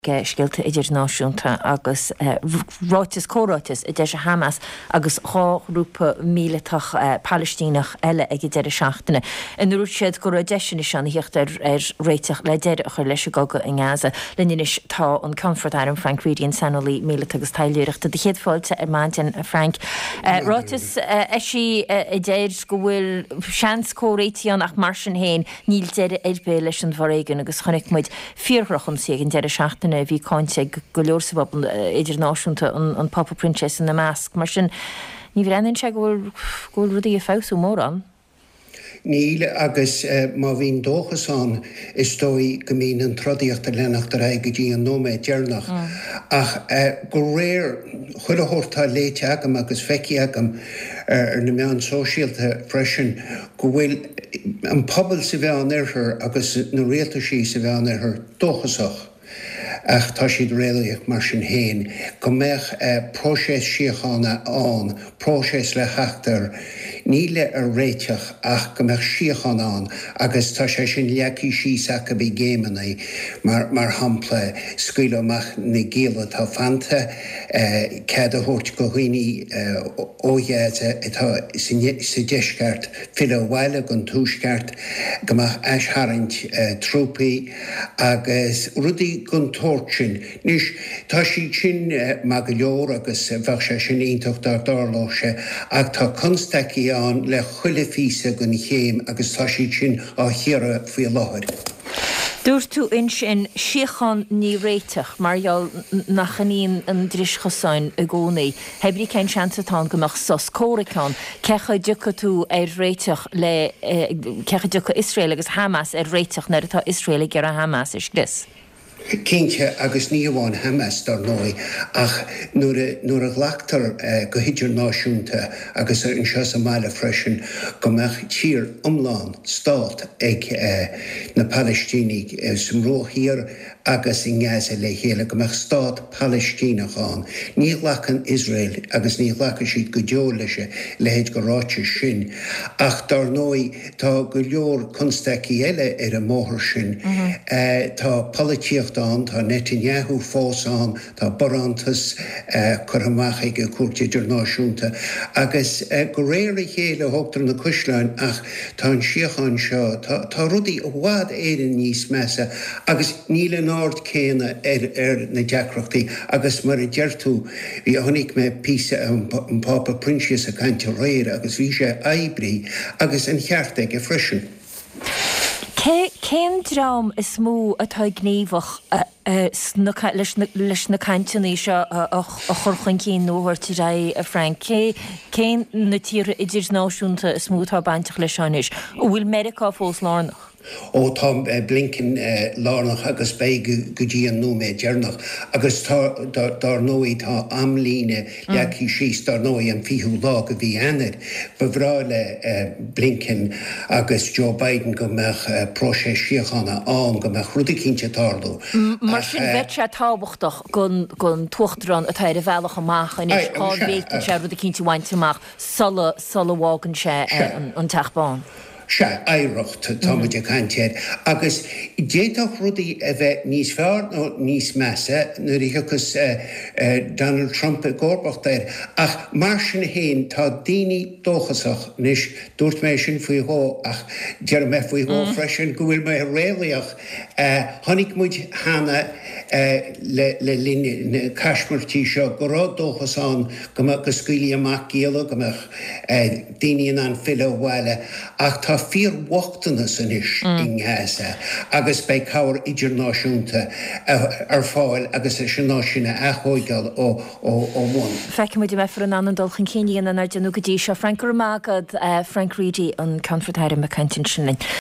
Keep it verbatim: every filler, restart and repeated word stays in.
Scéalta idirnáisiúnta agus ráiteas comhráiteas a d'eisigh Hamas agus dhá ghrúpa míleatach Palaistíneach eile ag an deireadh seachtaine ina ndúirt siad go raibh deis anois ann a theacht ar réiteach le deireadh a chur leis an gcogadh i nGaza. Linn anois tá an Ceannfort Airm Frank Reidy, an saineolaí míleata agus taidhleoireachta. Do chéad fáilte ar maidin, a Frank. Ráiteas eisithe a deir go bhfuil seans comhréitigh ann ach mar sin féin níl deireadh ar bith leis an bhforéigean agus chonaic muid fíordhrochionsaí ag an deireadh seachtaine a bhí cáinte ag go leor sa bpobal idirnáisiúnta, an Pápa Proinsias ina measc. Mar sin, ní bhreathnaíonn sé go bhfuil go bhfuil rudaí ag feabhsú mórán. Níl, agus má bhíonn dóchas ann, is dóigh go mbíonn an trodaíocht ag leanacht ar aghaidh go dtí an nóiméad deireanach. Ach de réir chuile shórt atá léite agam agus feicthe agam ar na meáin sóisialta freisin, go bhfuil an pobal sa Mheánoirthear agus na rialtaisí sa Mheánoirthear dóchasach, ach tá siad réalaíoch mar sin féin, go mbeadh próiseas síochána ann, próiseas le theacht ar, ní le ar réiteach ach go mbeadh síocháin ann agus tá sé sin leagtha síos acu i gcéimeanna, mar mar shampla scaoileadh amach na gialla atá fanta, cead a thabhairt go dhaoine ó Ghaza atá sa deisceart filleadh abhaile gon tuaisceart, go mbeadh aistharraingt trúpaí agus rudaí gon tsórt sin. Anois, tá siad sin maith go leor agus bheadh sé sin iontach dá dtarlódh sé, ach tá constaicí ann le chuile phíosa den chéim agus tá siad sin á chíoradh faoi láthair. Dúirt tú ansin, síocháin ní réiteach, mar gheall nach in í an dris chosáin i gcónaí. Hé brí cén seans atá ann go mbeadh sos comhraic ann? Cé chaoi a dtiocfaidh tú ar réiteach le, cé chaoi a dtiocfaidh Iosrael agus Hamas ar réiteach nuair atá Iosrael ag iarraidh Hamas a scrios? Cinnte, agus ní hamháin Hamas, dar ndóigh, ach nuair a, nuair a ghlactar go hidirnáisiúnta agus anseo sa mbaile freisin go mbeadh tír iomlán, stát, ag na Palaistínigh sa mBruach Thiar agus i nGaza le chéile, go mbeadh stát Palaistíneach ann. Ní ghlacann Iosrael agus ní ghlacfaidh siad go deo leis a leithéid de ráiteas sin. Ach dar ndóigh tá go leor constaicí eile ar an mbóthar sin. Tá polaitíocht ann, tá Netanyahu fós ann, tá barántas curtha amach ag an Chúirt Idirnáisiúnta agus de réir a chéile thógtar na caisleáin ach tá an síocháin seo, tá tá rudaí i bhfad Éireann níos measa agus níl an aird céanna ar ar na deacrachtaí agus mar a deir tú, bhí, chonaic mé píosa an Pápa Proinsias ag caint aréir agus bhí sé oibrithe agus an ceart aige freisin. Cé, cén dream is mó atá gníomhach sna, leis na, leis na cainteanna seo a chur chun cinn nó a thabhairt ar aghaidh, a Frank? Cé, cé na tíortha idirnáisiúnta is mó atá bainteach leis seo anois? An bhfuil Meiriceá fós lárnach? Ó tá Blinken lárnach agus beidh go dtí an nóiméad deireanach. Agus tá, dar ndóigh, tá amlíne leagtha síos, dar ndóigh, an fichiú lá de mhí Eanáir. Ba bhreá le Blinken agus Joe Biden go mbeadh próiseas síochána ann, go mbeadh rud eicínt ag tarlú. Mar sin, bheadh sé tábhachtach don tUachtarán atá ar a bhealach amach anois cá bhféadfadh sé rud eicínt a bhaint amach sula sula bhfágann sé an Teach Bán. Sea, oidhreacht atá muid ag caint air. Agus d'fhéadfadh rudaí a bheith níos fearr nó níos measa nuair a thiocfas Donald Trump i gcomharbacht air. Ach mar sin féin, tá daoine dóchasach. Anois, dúirt mé sin faoi dhó ach déarfaidh mé faoi dhó freisin go bhfuil mé réalaíoch. Chonaic muid cheana le linn na caismirtí seo go raibh dóchas ann go mbeadh, go scaoilfí amach gialla, go mbeadh daoine in ann filleadh abhaile ach tá fíorbhochtanas anois i nGaza agus beidh cabhair idirnáisiúnta ar fáil agus leis an áit sin a aththóigeáil ó bhun. Feicfidh muid an mbeifear in ann an dul chun cinn a dhéanamh nár déanadh go dtí seo. Frank, go raibh maith agat. Frank Reidy, an Ceannfort Airm ag caint ansin linn.